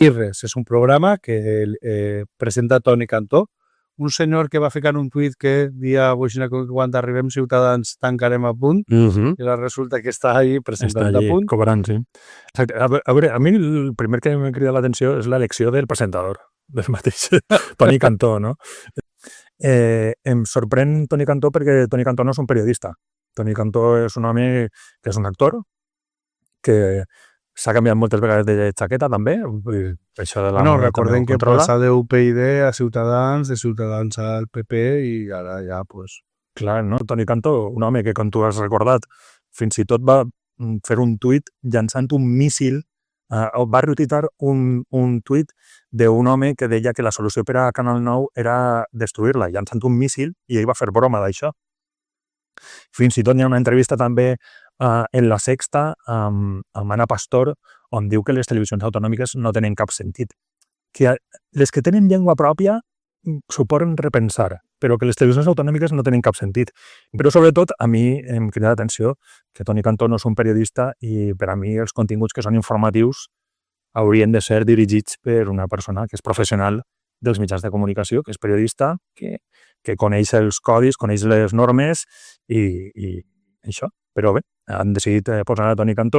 I res, és un programa que presenta Toni Cantó, un senyor que va ficar un tuit que dia que quan arribem Ciutadans tancarem a punt, i resulta que està allí presentant a punt. Cobrant, sí. Exacte. A veure, a mi el primer que m'ha cridat l'atenció és l'elecció del presentador, del mateix Toni Cantó, no? Em sorprèn Toni Cantó perquè Toni Cantó no és un periodista. Toni Cantó és un home que és un actor, que s'ha canviat moltes vegades de jaqueta, també. Això de la no, recordem que passa d'UPyD a Ciutadans, de Ciutadans al PP, i ara ja, pues... Clar, no? Toni Cantó, un home que, com tu has recordat, fins i tot va fer un tuit llançant un míssil, va retuitar un tuit d'un home que deia que la solució per a Canal 9 era destruir-la, llançant un míssil, i ell va fer broma d'això. Fins i tot hi ha una entrevista també en La Sexta amb Ana Pastor, on diu que les televisions autonòmiques no tenen cap sentit. Que les que tenen llengua pròpia s'ho poden repensar, però que les televisions autonòmiques no tenen cap sentit. Però sobretot a mi em crida l'atenció que Toni Cantó no és un periodista i per a mi els continguts que són informatius haurien de ser dirigits per una persona que és professional dels mitjans de comunicació, que és periodista, que coneix els codis, coneix les normes i això. Però bé, han decidit posar a Toni Cantó